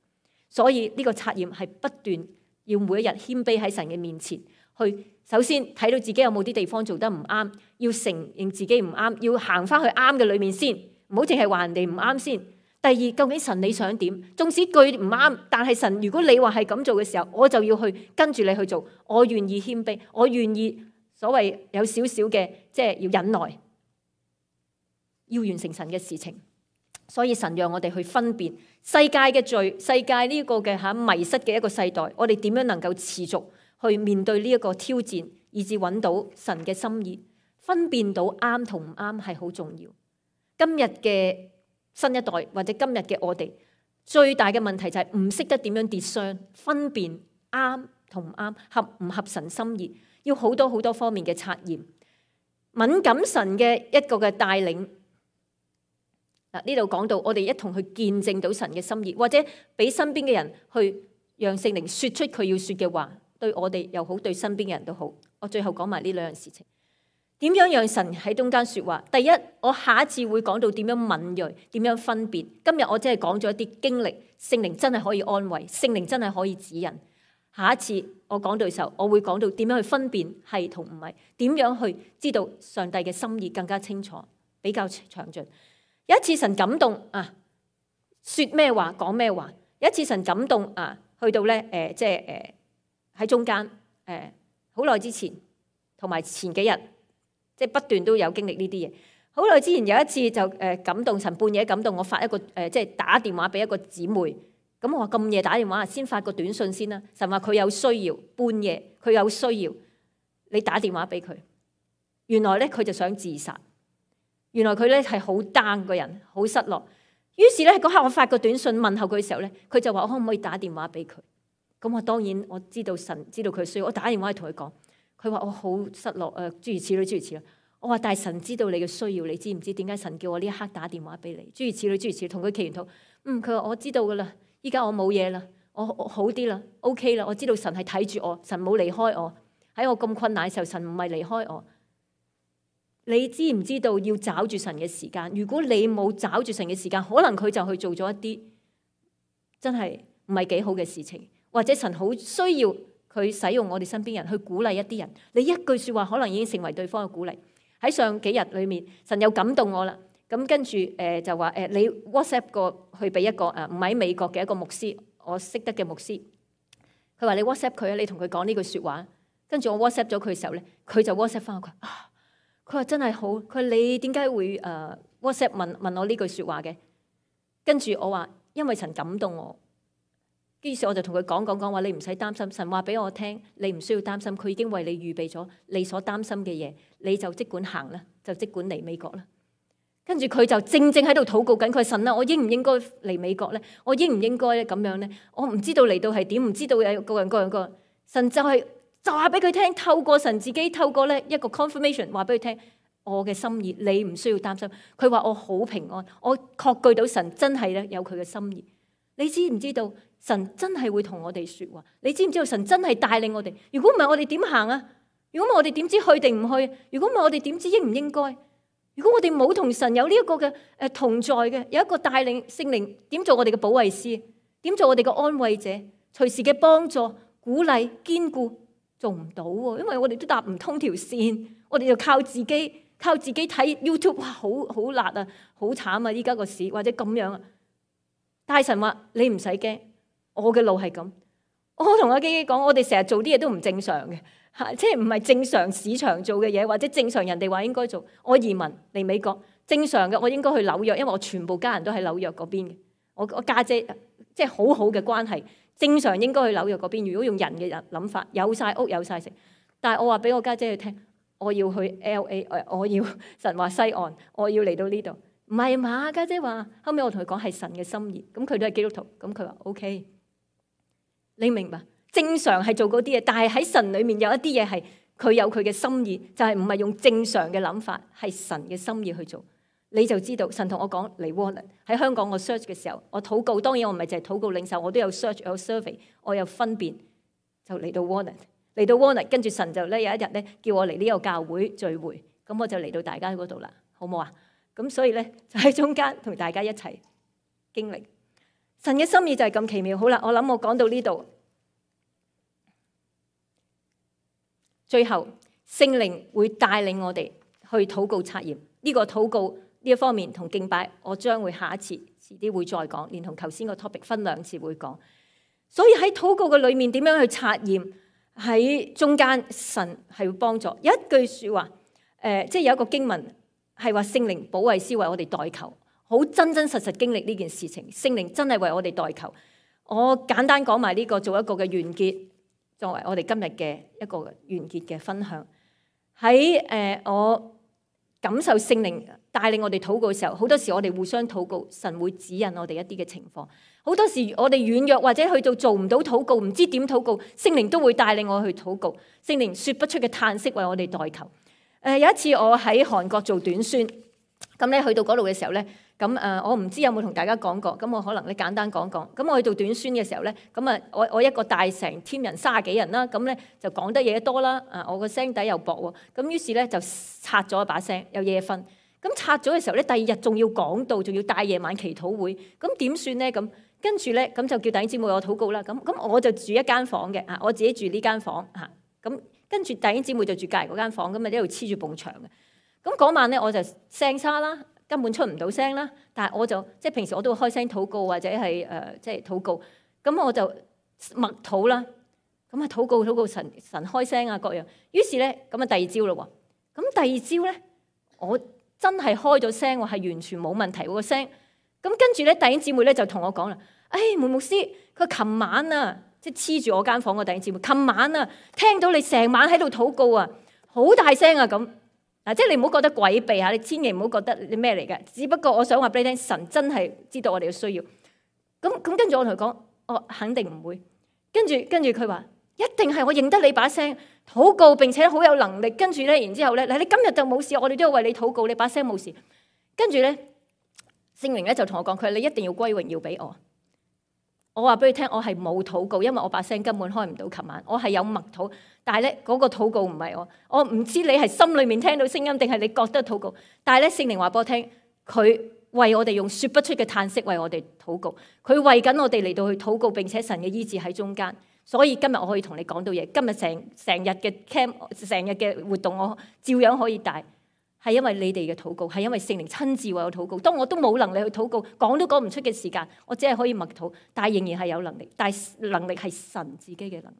所以呢個察驗係不斷要每一日謙卑喺神嘅面前，去首先睇到自己有冇啲地方做得唔啱，要承認自己唔啱，要行翻去啱嘅裏面先，唔好淨係話人哋唔啱先。第二，究竟神你想點？縱使句唔啱，但係神如果你話係咁做嘅時候，我就要去跟住你去做。我願意謙卑，我願意所謂有少少嘅即係要忍耐，要完成神嘅事情。所以神讓我哋去分辨世界嘅罪，世界呢個嘅迷失嘅一個世代，我哋點樣能夠持續去面對呢一個挑戰，以至揾到神嘅心意，分辨到啱同唔啱係好重要。今日嘅新一代或者今日嘅我哋最大嘅問題就係唔識得點樣跌傷，分辨啱同唔啱，合唔合神心意，要好多好多方面嘅察驗，敏感神嘅一個嘅帶領。呢度講到我哋一同去見證到神嘅心意，或者俾身邊嘅人去讓聖靈說出佢要說嘅話，對我哋又好，對身邊嘅人都好。我最後講埋呢兩樣事情。點樣讓神喺中間說話？第一，我下一次會講到點樣敏銳，點樣分辨。今日我只係講咗一啲經歷，聖靈真係可以安慰，聖靈真係可以指引。下一次我講到嘅時候，我會講到點樣去分辨係同唔係，點樣去知道上帝嘅心意更加清楚，比較詳盡。有一次神感動說咩話講咩話。有一次神感動去到咧喺中間好耐之前同埋前幾日。即係不斷都有經歷呢啲嘢。好耐之前有一次就感動神，半夜感動我發一個即係打電話俾一個姊妹。咁我話咁夜打電話先發個短信先啦。神話佢有需要，半夜佢有需要，你打電話俾佢。原來咧佢就想自殺。原來佢咧係好 down 個人，好失落。於是咧嗰刻我發個短信問候佢嘅時候咧，佢就話我可唔可以打電話俾佢？咁我當然我知道神知道佢需要，我打電話去同佢講。佢話我好失落諸如此類諸如此類。我話但係神知道你嘅需要，你知唔知點解神叫我呢一刻打電話俾你？諸如此類諸如此類，同佢祈禱。佢話我知道噶啦，依家我冇嘢啦，我好啲啦 ，OK 啦，我知道神係睇住我，神冇離開我，喺我咁困難嘅時候，神唔係離開我。你知唔知道要找住神嘅時間？如果你冇找住神嘅時間，可能佢就去做咗一啲真係唔係幾好嘅事情，或者神好需要佢使用我哋身邊人去鼓勵一啲人，你一句說話可能已經成為對方嘅鼓勵。喺上幾日裏面，神又感動我啦。咁跟住就話你 WhatsApp 個去俾一個唔喺美國嘅一個牧師，我識得嘅牧師。佢話你 WhatsApp 佢啊，你同佢講呢句說話。跟住我 WhatsApp 咗佢嘅時候咧，佢就 WhatsApp 翻我。佢話真係好。佢話你點解會WhatsApp 問我呢句說話嘅？跟住我話因為神感動我。於是我就同佢講話，你唔使擔心，神話俾我聽，你唔需要擔心，佢已經為你預備咗你所擔心嘅嘢，你就即管行啦，就即管嚟美國啦。跟住佢就正喺度禱告緊，佢神啊，我應唔應該嚟美國咧？我應唔應該咧咁樣咧？我唔知道嚟到係點，唔知道有個人。神就話俾佢聽，透過神自己，透過咧一個 confirmation 話俾佢聽我嘅心意，你唔需要擔心。佢話我好平安，我確據到神真係咧有佢嘅心意。你知唔知道神真係會同我哋說話？你知唔知道神真係帶領我哋？如果唔係我哋點行啊？如果唔係我哋點知去定唔去？如果唔係我哋點知應唔應該？如果我哋冇同神有呢一個嘅同在嘅，有一個帶領聖靈點做我哋嘅保惠師，點做我哋嘅安慰者，隨時嘅幫助、鼓勵、堅固，做唔到喎，因為我哋都搭唔通條線，我哋就靠自己睇 YouTube， 哇，好辣啊，好慘啊！依家個市或者咁樣啊。大神話你唔使驚，我嘅路係咁。我同阿基基講，我哋成日做啲嘢都唔正常嘅，即係唔係正常市場做嘅嘢，或者正常人哋話應該做。我移民嚟美國，正常嘅我應該去紐約，因為我全部家人都喺紐約嗰邊嘅。我家姐即係好好嘅關係，正常應該去紐約嗰邊。如果用人嘅諗法，有晒屋有晒食，但係我話俾我家姐去聽，我要去 LA， 我要神話西岸，我要嚟到呢度。唔係嘛，家姐話，後尾我同佢講係神嘅心意，咁佢都係基督徒，咁佢話 OK， 你明白？正常係做嗰啲嘢，但係喺神裏面有一啲嘢係佢有佢嘅心意，就係唔係用正常嘅諗法，係神嘅心意去做，你就知道神同我講嚟 Warner 喺香港我 search 嘅時候，我禱告，當然我唔係淨係禱告領袖，我都有 search 有 survey， 我有分辨，就嚟到 Warner， 跟住神就咧有一日咧叫我嚟呢個教會聚會，咁我就嚟到大家嗰度啦，好唔好啊？咁所以咧就喺中間同大家一齊經歷神嘅心意就係咁奇妙。好啦，我諗我講到呢度，最後聖靈會帶領我哋去禱告測驗。呢個禱告呢一方面同敬拜，我將會下一次遲啲會再講，連同頭先個 topic 分兩次會講。所以喺禱告嘅裏面點樣去測驗？喺中間神係會幫助。有一句說話，即係有一個經文。係話聖靈保惠師為我哋代求，好真真實實經歷呢件事情。聖靈真係為我哋代求。我簡單講埋呢個，做一個嘅完結，作為我哋今日嘅一個完結嘅分享。喺我感受聖靈帶領我哋禱告嘅時候，好多時我哋互相禱告，神會指引我哋一啲嘅情況。好多時我哋軟弱或者去到做唔到禱告，唔知點禱告，聖靈都會帶領我去禱告。聖靈說不出嘅嘆息為我哋代求。有一次我喺韓國做短宣，咁咧去到嗰度嘅時候咧，咁我唔知有冇同大家講過，咁我可能咧簡單講講。咁我去做短宣嘅時候咧，咁我一個帶成 team 人30幾人啦，咁咧就講得嘢多啦，我個聲底又薄喎，咁於是咧就拆咗一把聲，有夜瞓。咁拆咗嘅時候咧，第2日仲要講道，仲要帶夜晚祈禱會，咁點算咧？咁跟住咧，咁就叫弟兄姊妹我禱告啦。咁我就住一間房嘅，我自己住呢間房嚇，咁。跟住弟兄姊妹就住隔離嗰間房，咁啊一路黐住埲牆嘅。咁嗰晚咧我就聲沙啦，根本出唔到聲啦。但係我就即係平時我都會開聲禱告或者係即係禱告。咁我就默禱啦。咁啊禱告神開聲啊各樣。於是咧咁啊第2朝咯喎。咁第2朝咧我真係開咗聲喎，係完全冇問題喎個聲。咁跟住咧弟兄姊妹咧就同我講啦，梅牧師佢琴晚啊。即係黐住我間房個弟兄姊妹，琴晚啊聽到你成晚喺度禱告啊，好大聲啊咁嗱，即係你唔好覺得詭秘嚇，你千祈唔好覺得你咩嚟嘅。只不過我想話俾你聽，神真係知道我哋嘅需要。咁跟住我同佢講，我肯定唔會。跟住佢話一定係我認得你把聲禱告，並且好有能力。跟住咧，然之後咧，嗱你今日就冇事，我哋都要為你禱告，你把聲冇事。跟住咧，聖靈咧就同我講，佢話你一定要歸榮耀俾我。我話俾你聽，我係冇禱告，因為我把聲根本開唔到。琴晚我係有默禱，但係咧嗰個禱告唔係我唔知你係心裏面聽到聲音，定係你覺得禱告。但係咧聖靈話俾我聽，佢為我哋用說不出嘅嘆息為我哋禱告，佢為緊我哋嚟到去禱告，並且神嘅醫治喺中間。所以今日我可以同你講到嘢，今日成日嘅 camp， 成日嘅活動，我照樣可以帶。係因為你哋嘅禱告，係因為聖靈親自為我禱告。當我都冇能力去禱告，講都講唔出嘅時間，我只係可以默禱，但係仍然係有能力。但係能力係神自己嘅能力，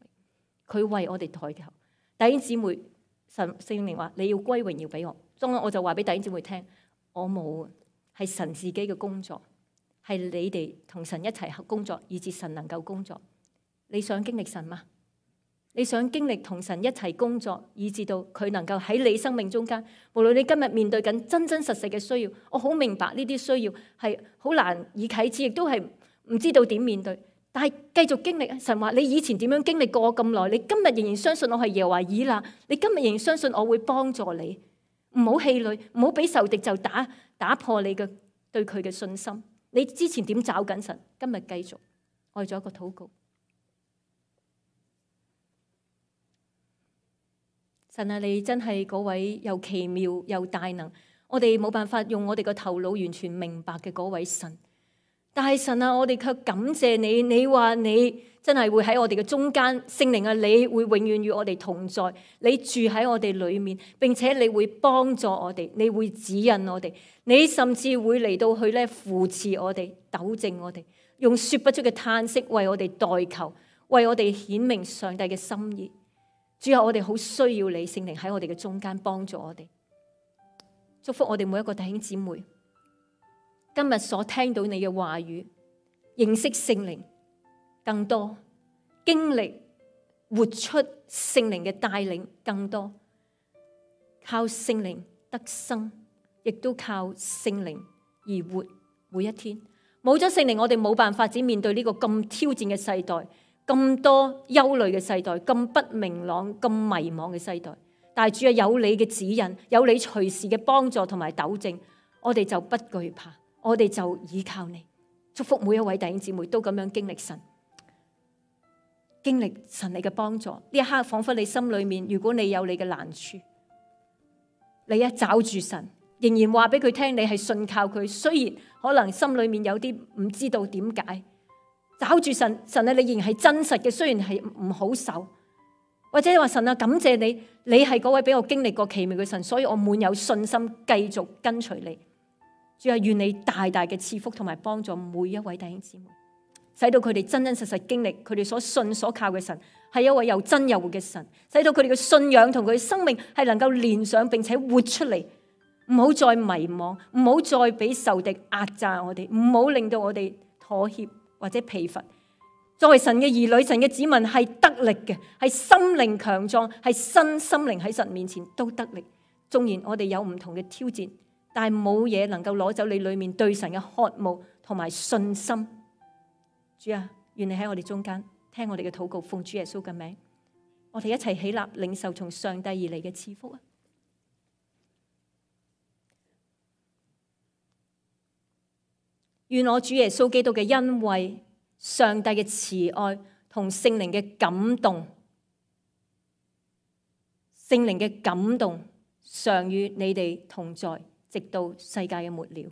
佢為我哋代求。弟兄姊妹，聖靈話你要歸榮耀俾我，所以我就話俾弟兄姊妹聽，我冇啊，係神自己嘅工作，係你哋同神一齊工作，以致神能夠工作。你想經歷神嗎？你想經歷同神一齊工作，以至到佢能夠喺你生命中間，無論你今日面對緊真真實實嘅需要，我好明白呢啲需要係好難以啟齒，亦都係唔知道點面對。但係繼續經歷，神話你以前點樣經歷過我咁耐，你今日仍然相信我係耶和華以勒，你今日仍然相信我會幫助你，唔好氣餒，唔好俾仇敵就打破你嘅對佢嘅信心。你之前點找緊神，今日繼續，我哋做一個禱告。神啊，你真係嗰位又奇妙又大能，我哋冇辦法用我哋個頭腦完全明白嘅嗰位神。但係神啊，我哋卻感謝你，你話你真係會喺我哋嘅中間，聖靈啊，你會永遠與我哋同在，你住喺我哋裏面，並且你會幫助我哋，你會指引我哋，你甚至會嚟到去咧扶持我哋，糾正我哋，用說不出嘅嘆息為我哋代求，為我哋顯明上帝嘅心意。主啊，我哋好需要你聖靈喺我哋嘅中間幫助我哋，祝福我哋每一個弟兄姊妹，今日所聽到你嘅話語，認識聖靈更多，經歷活出聖靈嘅帶領更多，靠聖靈得生，亦都靠聖靈而活每一天。冇咗聖靈，我哋冇辦法只面對呢個咁挑戰嘅世代，咁多憂慮嘅世代，咁不明朗、咁迷茫嘅世代。但係主啊，有你嘅指引，有你隨時嘅幫助同埋糾正，我哋就不懼怕，我哋就依靠你。祝福每一位弟兄姊妹都咁樣經歷神，經歷神你嘅幫助。呢一刻仿佛你心裏面，如果你有你嘅難處，你一抓住神，仍然話俾佢聽你係信靠佢，雖然可能心裏面有啲唔知道點解。找住神，神啊，你仍然係真實嘅，雖然係唔好受，或者你話神啊，感謝你，你係嗰位俾我經歷過奇妙嘅神，所以我滿有信心繼續跟隨你。主啊，願你大大嘅賜福同埋幫助每一位弟兄姊妹，使到佢哋真真實實經歷佢哋所信所靠嘅神係一位又真又活嘅神，使到佢哋嘅信仰同佢嘅生命係能夠連上並且活出嚟，唔好再迷茫，唔好再俾仇敵壓榨我哋，唔好令到我哋妥協或者疲乏。作為神嘅兒女，神嘅子民係得力嘅，係心靈強壯，係身心靈喺神面前都得力。縱然我哋有唔同嘅挑戰，但係冇嘢能夠攞走你裏面對神嘅渴慕同埋信心。主啊，願你喺我哋中間聽我哋嘅禱告，奉主耶穌嘅名，我哋一齊起立領受從上帝而嚟嘅賜福啊！願我主耶穌基督嘅恩惠、上帝嘅慈愛同聖靈嘅感動，聖靈嘅感動常與你哋同在，直到世界嘅末了。